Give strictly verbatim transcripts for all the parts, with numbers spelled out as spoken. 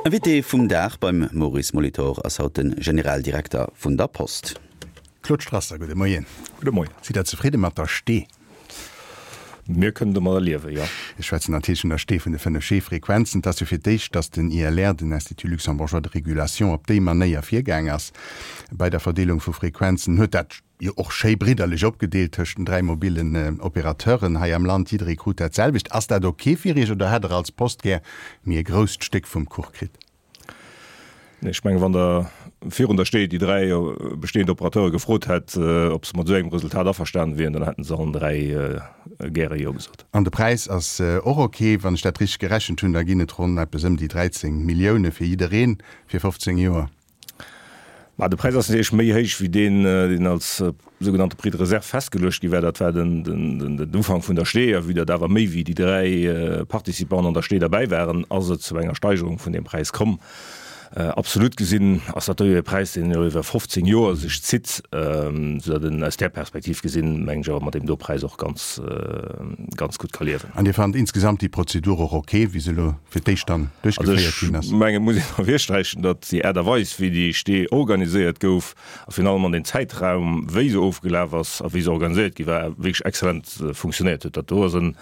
Invité vum Dag beim Maurice Molitor ass haut de Generaldirekter vun der Post. Claude Strasser, gudde Moien. Gudde Moien. Sidd Der zefridde mat der Stee? Mir kënnen domadder liewen, jo. Ech schwätzen natierlech vun der Stee vun de fënnef G-Frequenzen. Et ass jo fir d'éischt, datt den I L R, den Institut Luxembourgeois de Régulation, op déi Manéier virgaang ass bei der Verdeelung vu Frequenzen. Huet dat jo och schéi bridderlech opgedeelt tëscht den dräi mobillen Operateuren hei am Land. Jidderee krut dat selwecht. Ass dat ok fir Iech oder hätt Der als Post gär méi e grousst Stéck vum Kuch kritt? Nee, ech mengen, wann Der virun der Stee déi dräi bestehend Operateure gefrot hätt, ob se mat esou engem Resultat averstanen wieren, dann hätten se allen dräi gäre Jo gesot. An de Präis ass och ok. Wann ech dat richteg gerechent hunn, da ginn et ronn eppes ëm déi dräizéng Millioune fir jidderee fir fofzéng Joer. Ma de Präis ass natierlech méi héich wéi deen, deen als sougenannte Prix de réserve festgeluecht gi war. Dat war den, den, den Ufank vun der Stee. A vue datt awer méi wéi déi dräi Participanten an der Stee derbäi waren, ass et zu enger Steigerung vun deem Präis komm. Absolut gesinn ass dat do jo e Präis, deen elo iwwer fofzéng Joer sech zitt, soudatt en aus där Perspektiv gesinn, mengen ech, awer mat deem do Präis och ganz, ganz gutt ka liewen. An Dir fannt insgesamt déi Prozedur och ok, wéi se elo fir d'éischt dann duerchgeféiert ginn ass? Also ech mengen, et muss een ervirsträichen, datt déi Aart a Weis, wéi déi Stee organiséiert gouf, a virun allem an den Zäitraum, wéi se ofgelaf ass a wéi se organiséiert gi war, wierklech exzellent funktionéiert huet. Dat do ass en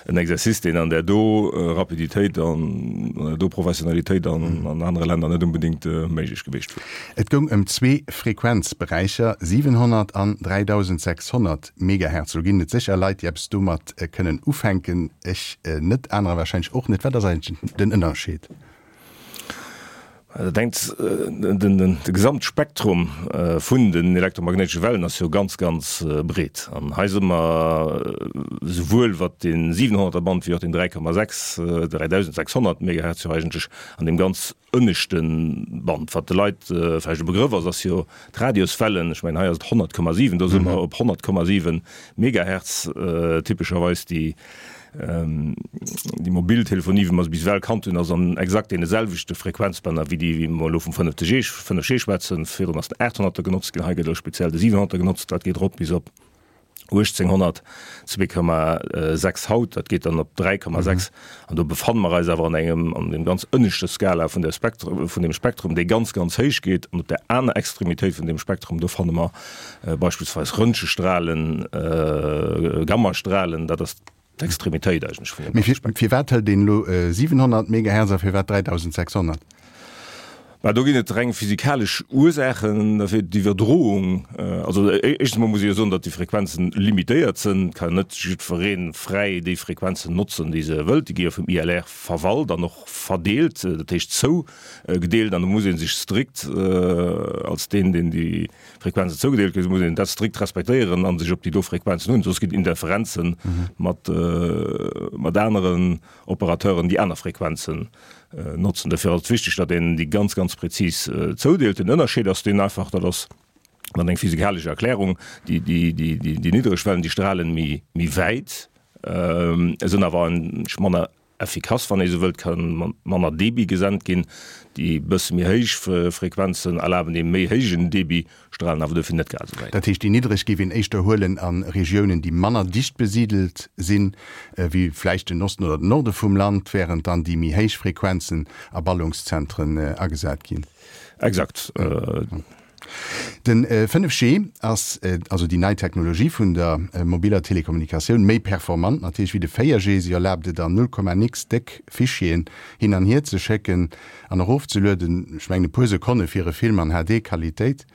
en Exercice, deen an där do Rapiditéit an an där do Professionalitéit an an anere Länner net unbedéngt méiglech gewiescht wier. Et goung ëm zwee Frequenzberäicher, siwenhonnert an dräidausendsechshonnert Megahertz. Lo ginn et sécher Leit, déi eppes domat kënnen ufänken, ech net, anerer warscheinlech och net. Wat ass eigentlech den Ënnerscheed? Dat engt, de Gesamtspektrum vun den elektromagnéitesche Wellen ass jo ganz, ganz breet. An hei si mer esouwuel wat de siwenhonnerter Band wéi och den dräi Komma sechs, dräidausendsechshonnert Megahertz jo eigentlech an deem ganz ënneschte Band. Wat de Leit vläicht e Begrëff ass, ass jo d'Radioswellen. Ech mengen, hei ass et honnert Komma siwen, do si mer op honnert Komma siwen Megahertz typescherweis, déi Déi mobil Telefonie, wéi mer se bis ewell kannt hunn, ass an exakt deene selwechte Frequenzbänner wéi déi, wéi mer elo vum fënnefte G, fënnef G schwätzen. Virdrun ass den aathonnerter genotzt ginn, hei gëtt elo speziell de siwenhonnerter genotzt. Dat geet erop bis op uechtzénghonnert, zwee Komma sechs haut, dat geet dann op dräi Komma sechs. An do befanne mer eis awer an engem, an deem ganz ënneschte Skala vun der Spektrum, vun deem Spektrum, dee ganz, ganz héich geet. An op där aner Extremitéit vun deem Spektrum, do fanne mer beispillsweis Röntgenstrahlen, Gammastrahlen, dat ass d'Extremitéit eigentlech vun deem. Mee firwat hëlt een elo siwenhonnert Megahertz a firwat dräidausendsechshonnert? Mä do ginn et reng physikalesch Ursaachen derfir. D'Iwwerdroung, also éischtens emol muss ee jo soen, datt déi Frequenzen limitéiert sinn. Et kann net jiddweree fräi déi Frequenzen notzen, déi se wëllt. Déi gi jo vum I L R verwalt an och verdeelt, dat heescht zougedeelt. An do muss ee sech strikt als deen, deen déi Frequenzen zougedeelt kritt, muss een dat strikt respektéieren a sech op déi do Frequenzen hunn, soss ginn et Interferenze mat mat aneren Operateuren, déi aner Frequenzen notzen. Dofir ass et wichteg, datt een déi ganz, ganz prezis zoudeelt. Den Ënnerscheed ass deen einfach, dat ass dann eng physikalesch Erklärung, déi déi déi déi niddreg Wellen, déi strahlen méi méi wäit, sinn awer manner effikass, wann ee sou wëllt, ka manner Debit gesent ginn. Déi bësse méi héich Frequenzen erlaben ee méi héijen Debit, strahlen awer dofir net grad esou wäit. Dat heescht, déi niddreg géif een éischter huelen a Regiounen, déi manner dicht besidelt sinn, wéi vläicht den Osten oder den Norde vum Land, während dann déi méi héich Frequenzen a Ballungszentren agesat ginn. Exakt. Den fënnef G ass, also déi nei Technologie vun der mobiller Telekommunikatioun, méi performant natierlech wéi de véier G. Si erlaabt et an null Komma nix déck Fichieren hin an hier ze schécken an erofzelueden, ech mengen e puer Sekonne fir e Film an H D-Qualitéit.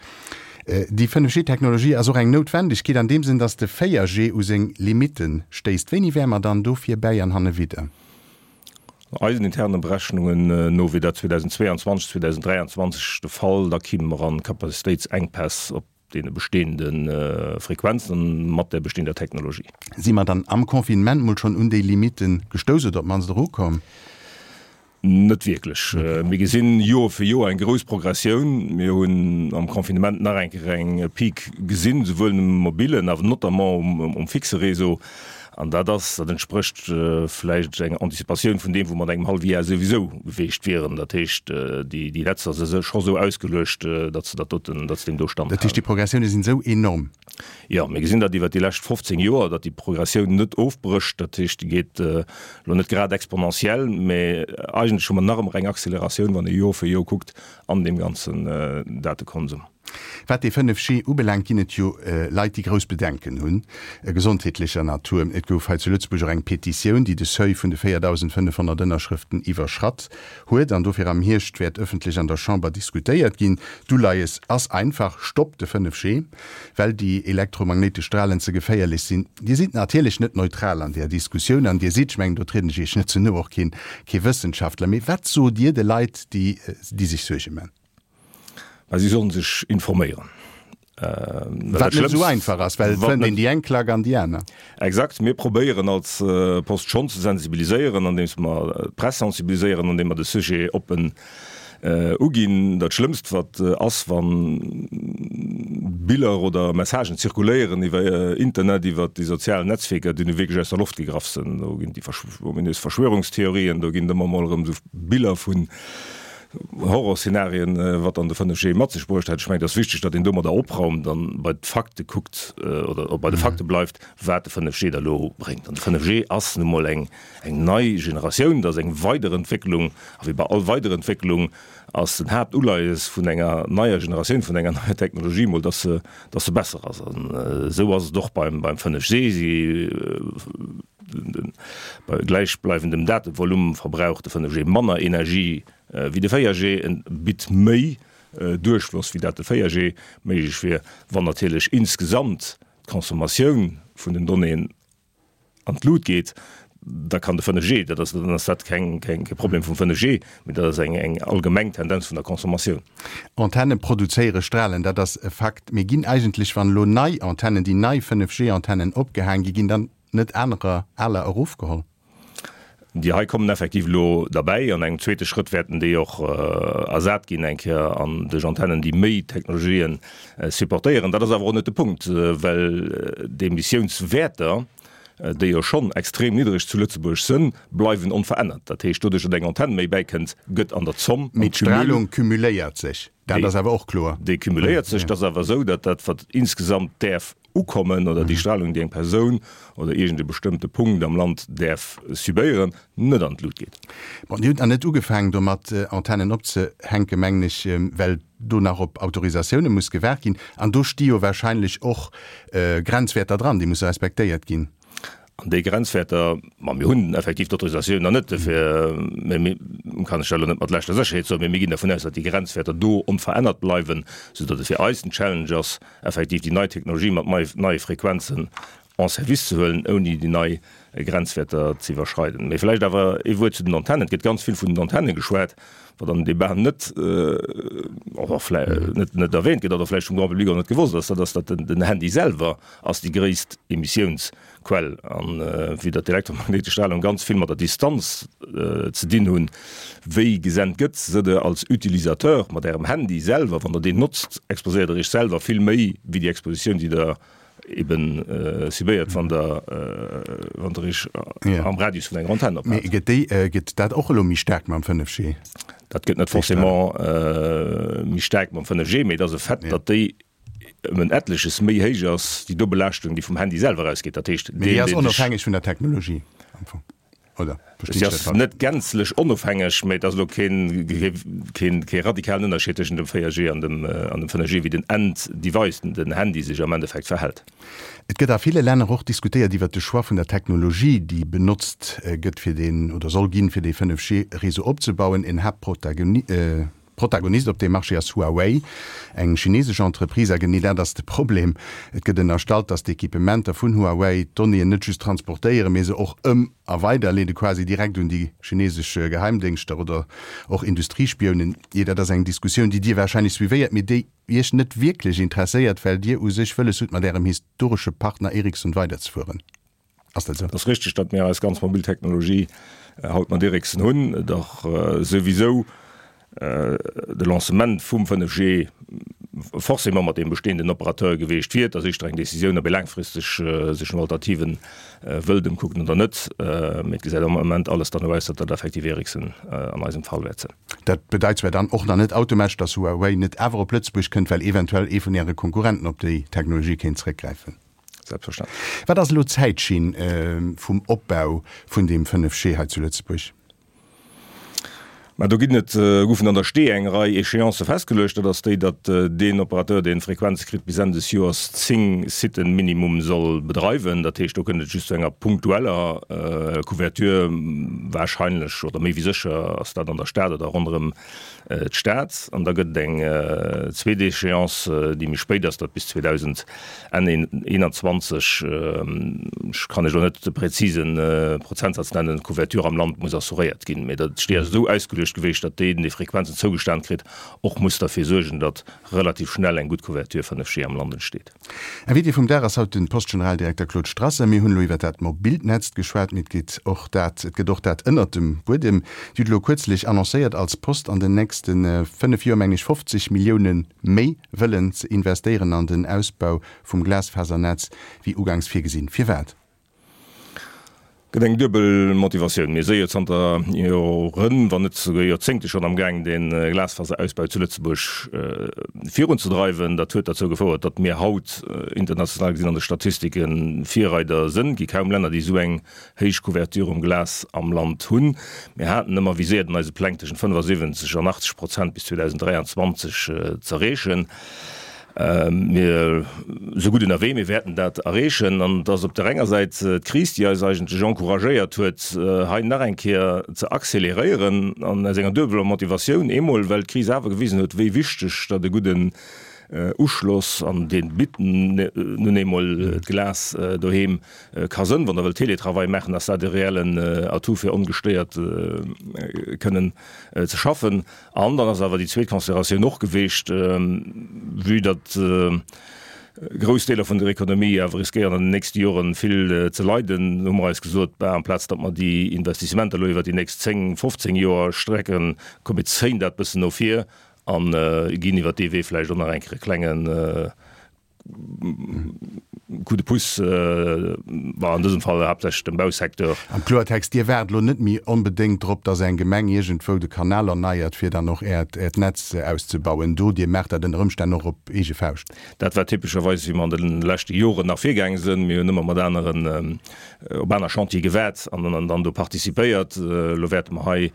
Déi fënnef G-Technologie ass och eng Noutwendegkeet an deem Sënn, datt de véier G u seng Limitte stéisst. Wéini wäre mer dann do virbäi an hannewidder? Eisen interne Berechnungen no wier dat zweedausendzweeanzwanzeg, zweedausenddräianzwanzeg de Fall. Da kimme mer an Capacitéitsenkpäss op deene bestehende Frequenzen mat der bestehender Technologie. Si mer dann am Confinement mol schonn un déi Limitte gestouss oder op d'mannst erukomm? Net wierklech. Mir gesinn Joer fir Joer eng grouss Progressioun. Mir hunn am Confinement nach eng Kéier eng Peak gesinn, souwuel um mobilen, awer notamment um fixe Réseau. An dat ass, dat entsprécht vläicht enger Anticipatioun vun deem, wou mer an engem hallwe Jar souwisou geweecht wieren. Dat heescht, déi, déi Netzer si scho sou ausgeluecht, datt se dat doten, datt se deem do standhalen. Dat heescht, déi Progressioune sinn esou enorm? Jo, mir gesinn dat iwwert déi lescht fofzéng Joer, datt déi Progressioun net ofbrécht. Dat heescht, déi geet elo net grad exponentiell, mä eigentlech hu mer nach ëmmer eng Acceleratioun, wann ee Joer fir Joer kuckt, an deem ganzen Datekonsum. Wat dee fënnef G ubelaangt, ginn et jo Leit, déi grouss Bedenken hunn, gesondheetlecher Natur. Et gouf hei zu Lëtzebuerg och eng Petitioun, déi de Seuil vun de véierdausendfënnefhonnert Ënnerschrëften iwwerschratt huet an dofir am Hierscht wäert ëffentlech an der Chamber diskutéiert ginn. D'Uleies ass einfach, Stopp de fënnef G, well déi elektromagnéitesch Stralen ze geféierlech sinn. Dir sidd natierlech net neutral an där Diskussioun an Dir sidd, ech mengen, do trieden ech Iech net ze no, och keen kee Wëssenschaftler. Mee wat sot Dir de Leit, déi déi sech Suerge man? Mä si sollen sech informéieren. Wat net esou einfach ass, well et fënnt een déi eng Klack an déi aner. Exakt. Mir probéieren als Post schonn ze sensibiliséieren, andeems mer d'Press sensibiliséieren, andeem mer de Sujet oppen uginn. Dat Schlëmmst, wat ass, wa Biller oder Messagen zirkuléieren iwwer Internet, iwwer déi sozial Netzwierker, déi nu wierklech aus der Loft gegraff sinn. Do ginn déi ominös Verschwörungstheorien, do ginn et ëmmer emol erëm esou Biller vun Horrorszenarien, wat dann de fënnef G mat sech bruecht hätt. Ech mengen, et ass wichteg, datt een domadder opraumt an bei d'Fakte kuckt oder bei de Fakte bleift, wat de fënnef G da elo bréngt. An de fënnef G ass nu mol eng eng nei Generatioun, dat ass eng Weiderentwécklung. A wéi bei all Weiderentwécklung ass den Haaptuleies vun enger neier Generatioun, vun enger neier Technologie mol, datt se datt se besser ass. An esou ass et och beim beim fënnef G. Si bei gläichbleiwendem Datevolume verbraucht de fënnef G manner Energie wéi de véier G, en bitt méi Duerchfloss wéi dat de véier G méiglech wier, wann natierlech insgesamt d'Consommatioun vun den Donnéeën an d'Lut geet, da kann de fënnef G, dat ass, dann ass dat keng, keng, kee Problem vum fënnef G, mee dat ass eng, eng allgemeng Tendenz vun der Consommatioun. Antenne produzéiere Strahlen, dat ass e Fakt. Mee ginn eigentlech, wann elo nei Antennen, déi nei fënnef G-Antennen opgehaang gi, ginn dann net anerer, aler erofgeholl? Déi hei kommen effektiv elo derbäi. An engem zweete Schrëtt wäerten déi och ersat ginn eng Kéier an duerch Antennen, déi méi Technologien supportéieren. Dat ass awer och net de Punkt, well d'Emissiounswäerter, déi jo schonn extrem niddreg zu Lëtzebuerg sënn, bleiwen onverännert. Dat heescht, doduerch, datt eng Antenn méi bäikënnt, gëtt an der Zomm, am Mee Cumul. D'Stralung cumuléiert sech, dat ass awer och kloer. Déi cumuléiert sech. Et ass awer esou, datt dat, wat insgesamt däerf ukommen oder déi Strahlung, déi eng Persoun oder iergend e bestëmmte Punkt am Land däerf subéieren, net an d'Lut geet. Bon, Dir hutt nach net ugefaangen domat, Antennen opzehänken, mengen ech, well do nach op Autorisatioune muss gewaart ginn. An do sti jo wahrscheinlech och Grenzwäerter dran, déi musse respektéiert ginn. An déi Grenzwäerter, ma mir hunn effektiv d'Autorisatioun nach net, dofir, mä mir, kann ech dat elo net mat leschter Sécherheet soen, mä mir ginn dervun aus, datt déi Grenzwäerter do onverännert bleiwen, soudatt et fir eis en Challenge ass, effektiv déi nei Technologie mat neie Frequenzen en service ze huelen, ouni déi nei Grenzwäerter ze iwwerschreiden. Mee vläicht awer ee Wuert zu den Antennen. Et gëtt ganz vill vun den Antenne geschwat, wat an dem Debat net, oder vläi net, net erwähnt gëtt oder vläicht vum Grand public och net gewosst ass, dat ass, datt den Handy selwer ass déi gréisst Emissiounsquell. An vue datt d'elektromagnéitesch Strahlung ganz vill mat der Distanz ze dinn hunn, wéi gesent gëtt, sot Der als Utilisateur mat Ärem Handy selwer, wann Der deen notzt, exposéiert Der Iech selwer vill méi wéi déi Expositioun, déi Der eben subéiert, wann Der, wann Der Iech am Radius vun enger Antenn ophaalt. Mee gëtt déi, gëtt dat och elo méi staark mam fënnef G? Dat gëtt net forcément méi staark mam fënnef G, mee et ass e Fait, datt déi ëm en etleches méi héich ass, déi Dobelaaschtung, déi vum Handy selwer ausgeet. Dat heescht, deen, deen sech. Mee déi ass onofhängeg vun der Technologie am Fong, oder verstinn ech dat falsch? Si ass net gänzlech onofhängeg, mee et ass elo keen, keen, kee radikalen Ënnerscheed tëschent dem véier G an dem, an dem fënnef G, wéi den End-Device, den Handy sech am Endeffekt verhält. Et gëtt a ville Länner och diskutéiert iwwert de Choix vun der Technologie, déi benotzt gëtt fir deen, oder soll ginn, fir dee fënnef G-Réseau opzebauen. En Haaptprotagonist, Protagonist op deem Marché ass Huawei, eng chinesesch Entreprise. A genee dat ass de Problem, Et gëtt ënnerstallt, datt d'Equipementer vun Huawei d'Donnéeën net just transportéieren, mee se och ëm a weiderleede quasi direkt un déi chinesesch Geheimdéngschter oder och Industriespionen. Jee, dat ass eng Diskussioun, déi Dir warscheinlech suivéiert, mee déi Iech net wierklech interesséiert, well Dir u sech wëlles hutt, mat Ärem historesche Partner Ericsson weiderzefueren. Ass dat esou? Et ass richteg, datt mir eis ganz mobil Technologie haut mat Ericsson hunn. Dach souwisou de Lancement vum fënnef G forcément mat deem bestehenden Operateur geweecht wier. Et ass éischter eng Décisioun, ob ee laangfristeg sech no Alternativen wëllt ëmkucken oder net. Mee et gesäit am Ament alles derno aus, datt dat effektiv Ericsson an eisem Fall wäert sinn. Dat bedeit zwar dann och nach net automatesch, datt Huawei net awer op Lëtzebuerg kënnt, well eventuell ee vun Äre Konkurrenten op déi Technologie kéint zréckgräifen. Selbstverständlech. Wat ass elo d'Zäitschinn vum Opbau vun deem fënnef G hei zu Lëtzebuerg? Mä do ginn et, goufen an der Stee eng Rei Échéancë festgeluecht. Dat ass déi, datt deen Operateur, deen d'Frequenz kritt, bis Enn des Joers zéng Siten minimum soll bedreiwen. Dat heescht, do kënnt et just zu enger punktueller Couverture, wahrscheinlech oder méi wéi sécher ass dat an der Stad oder ronderëm d'Stad. An da gëtt et eng zweet Échéance, déi méi spéit ass, dat bis zweedausend Enn eenanzwanzeg, ech kann lech elo net de präzise Prozentsaz nennen, d'Couverture am Land muss assuréiert ginn. Mee dat steet ass esou ausgeluecht gewiescht, datt deen, dee Frequenzen zougestan kritt, och muss derfir suergen, datt relativ schnell eng gutt Couverture fënnef G am Land entsteet. Invité vum Dag ass haut de Post-Generaldirekter Claude Strasser. Mir hunn elo iwwer dat mobilt Netz geschwat, mee et geet och dat, et gëtt och dat ënnert dem Buedem. Dir hutt elo kuerzlech annoncéiert, als Post an den nächste fënnef Joer, meng ech, fofzeg Millioune méi wëllen ze investéieren an den Ausbau vum Glasfasernetz wéi ugangs virgesinn. Firwat? Gëtt eng duebel Motivatioun. Mir si jo zanter Joren, wann net souguer Joerzéngte schonn amgaang, de Glasfaserausbau zu Lëtzebuerg virunzedreiwen. Dat huet derzou gefouert, datt mir haut international gesinn an de Statistike Virreider sënn. Et gi kaum Länner, déi esou eng héich Couverture um Glas am Land hunn. Mir haten ëmmer viséiert an eise Pläng tëschent fënnefasiwwenzeg an achtzeg Prozent bis zweedausend dräianzwanzeg z'erreechen. Mir si gutt ënnerwee, mir wäerten dat erreechen. An et ass op der enger Säit d'Kris, déi eis eigentlech encouragéiert huet, hei nach eng Kéier ze acceleréieren, an aus enger duebeler Motivatioun, eemol well d'Kris awer gewisen huet, wéi wichteg datt e gudden Uschloss, an dee bitt nun eemol d'Glas doheem, ka sënn. Wann Der wëllt Teletravail maachen, ass dat e reellen Atout, fir ongestéiert kënnen ze schaffen. An dann ass awer déi zweet Consideratioun och geweecht, vue datt grouss Deeler vun der Ekonomie awer riskéieren an den nächste Joren vill ze leiden, hu mer eis gesot, bah, amplaz datt mer déi Investissementer elo iwwert déi nächst zéng, fofzéng Joer strecken, komm mir zéien dat bëssen no vir a ginn iwwert dee Wee vläicht och nach eng Kéier e klengen Coup de pouce, bon, an dësem Fall haaptsächlech dem Bausecteur. Am Kloertext, Dir waart elo net méi onbedéngt drop, datt eng Gemeng iergendwou de Kanal erneiert, fir dann och Äert Äert Netz auszebauen do. Dir maacht dat ënner Ëmstänn och op eege Fauscht. Dat war typescherweis, wéi mer an de leschte Joren nach virgaange sinn. Mir hunn ëmmer mat aneren, op aner Chantiere gewaart an dann do participéiert. Elo wäerte mer hei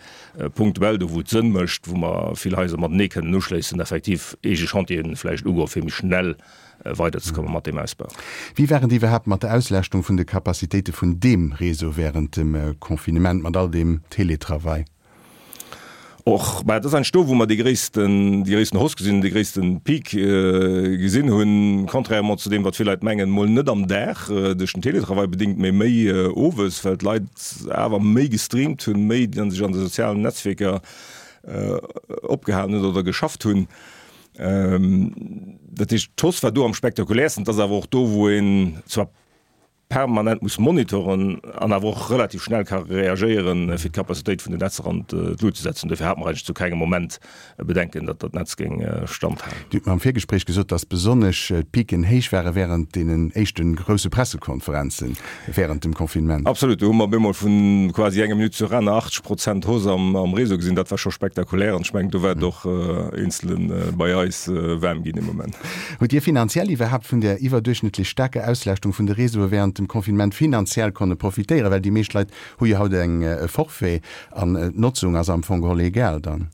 punktuell, do wou et Sënn mécht, wou mer vill Haiser matenee kënnen uschléissen, effektiv eege Chantieren vläicht ugoen, fir méi schnell weiderzekomme mat deem Ausbau. Wéi war et iwwerhaapt mat der Auslaaschtung vun de Capacitéite vun deem Réseau wärend dem Confinement, mat all deem Teletravail? Och, mä et ass eigentlech do, wou mer déi gréissten, déi gréissten Hausse gesinn hunn, dee gréissten Peak gesinn hunn, contrairement zu deem, wat vill Leit mengen, mol net am Dag duerch den Teletravail bedéngt, mä méi owes, well d'Leit awer méi gestreamt hunn, méi sech an de sozialen Netzwierker opgehalen hunn oder geschafft hunn. Dat heescht, d'Hausse war do am spektakuläersten. Et ass awer och do, wou een zwar permanent muss monitoren an awer och relativ schnell ka reagéieren, fir d'Capacitéit vun den Netzer an d'Lut ze setzen. Dofir hate mer eigentlech zu kengem Moment Bedenken, datt dat Netz géing standhalen. Dir hutt mer am Virgespréich gesot, datt besonnesch d'Piken héich ware wärend deenen éischte grousse Pressekonferenze wärend dem Confinement. Absolut, do hu mer op eemol vu quasi enger Minutt zur aner achtzeg Prozent Hausse am Réseau gesinn. Dat war scho spektakulär an ech mengen, do war et och Eenzele bei eis waarm ginn dee Moment. Hutt Dir finanziell iwwerhaapt vun där iwwerduerchschnëttlech staarker Auslaaschtung vun de Réseaue wärend dem Confinement finanziell konne profitéieren? Well déi meescht Leit hu jo haut eng e Forfait an d'Notzung ass am Fong geholl egal dann.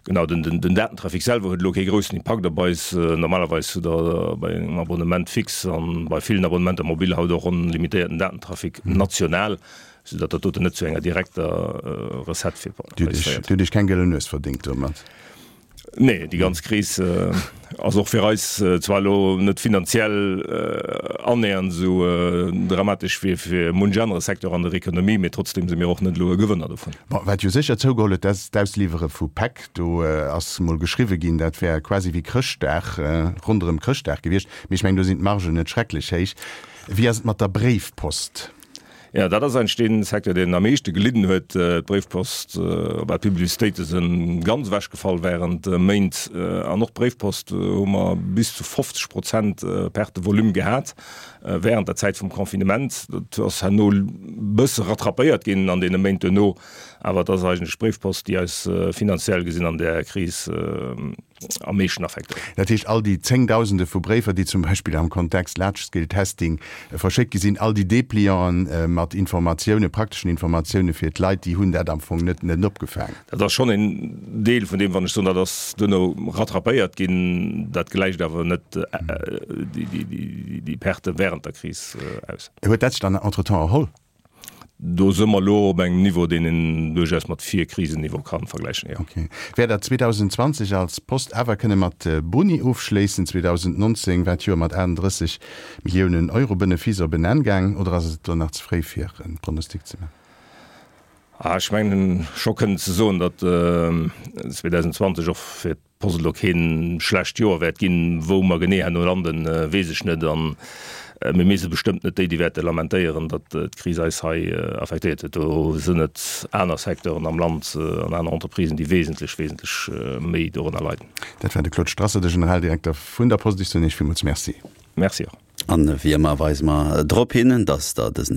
Genau, den Datentrafic selwer huet elo kee groussen Impakt op eis. Normalerweis hutt Der bei engem Abonnement fixe an bei villen Abonnementer mobil haut och onlimitéierten Datentrafic national, soudatt dat doten net zu enger direkter Recette fir eis féiert. Dir hutt Iech keng gëllen Nues verdéngt domat? Nee, déi ganz Kris ass och fir eis zwar elo net finanziell annähernd esou dramatesch wéi fir munch anere Secteur an der Ekonomie, mee trotzdeem si mir och net elo e Gewënner dovun. Bon, wat jo sécher zougeholl huet, dat ass d'Ausliwwere vu Päck. Do ass mol geschriwwe ginn, dat wär quasi wéi Chrëschtdag, ronderëm Chrëschtdag gewiescht. Mee ech mengen, do sinn d'Margen net schrecklech héich. Wéi ass et mat der Bréifpost? Jo, dat ass eigentlech dee Secteur, deen am meeschte gelidden huet. D'Bréifpost, bah, d'Publicitéite si ganz ewechgefall wärend Méint. An och d'Bréifpost hu mer bis zu fofzeg Prozent Perte de volume gehat wärend der Zäit vum Confinement. Dat ass herno e bësse rattrapéiert ginn an deene Méint duerno. Awer et ass eigentlech d'Bréifpost, déi eis finanziell gesinn an där Kris am meeschten affektéiert. Dat heescht, all déi Zéngdausende vu Bréifer, déi zum Beispill am Kontext Large-Scale Testing verschéckt gi sinn, all déi Deplianten mat Informatiounen, prakteschen Informatioune fir d'Leit, déi hunn dat am Fong net net opgefaangen. Dat ass schonn een Deel vun deem, wann ech soen, dat ass duerno rattrapéiert ginn. Dat gläicht awer net déi Perte während der Kris aus. Huet dat sech dann entretemps erholl? Do si mer elo op engem Niveau, deen een duerchaus mat Virkrisenniveau ka vergläichen, jo. Ok. Wäert Der zweedausendenzwanzeg als Post awer kënne mat Boni ofschléissen? zweedausendnonzéng war d'Joer mat aachtenddrësseg Milliounen Euro Benefice op en Enn gaang, oder ass et do nach ze fréi fir e Pronostic ze maachen? Ech mengen scho kënnen ze soen, datt zweedausendenzwanzeg och fir D'Post elo keen schlecht Joer wäert ginn. Wou mer genee herno landen, weess ech net. An mir mir si bestëmmt net déi, déi wäerte lamentéieren, datt d'Kris eis hei affektéiert huet. Do sinn et aner Secteuren am Land an aner Entreprisen, déi wesentlech, wesentlech méi dorënner leiden. Dat war de Claude Strasser, de Generaldirekter vun der Post. Ech soen Iech villmools Merci. Merci och. An wéi ëmmer weise mer drop hin, dass Der dësen.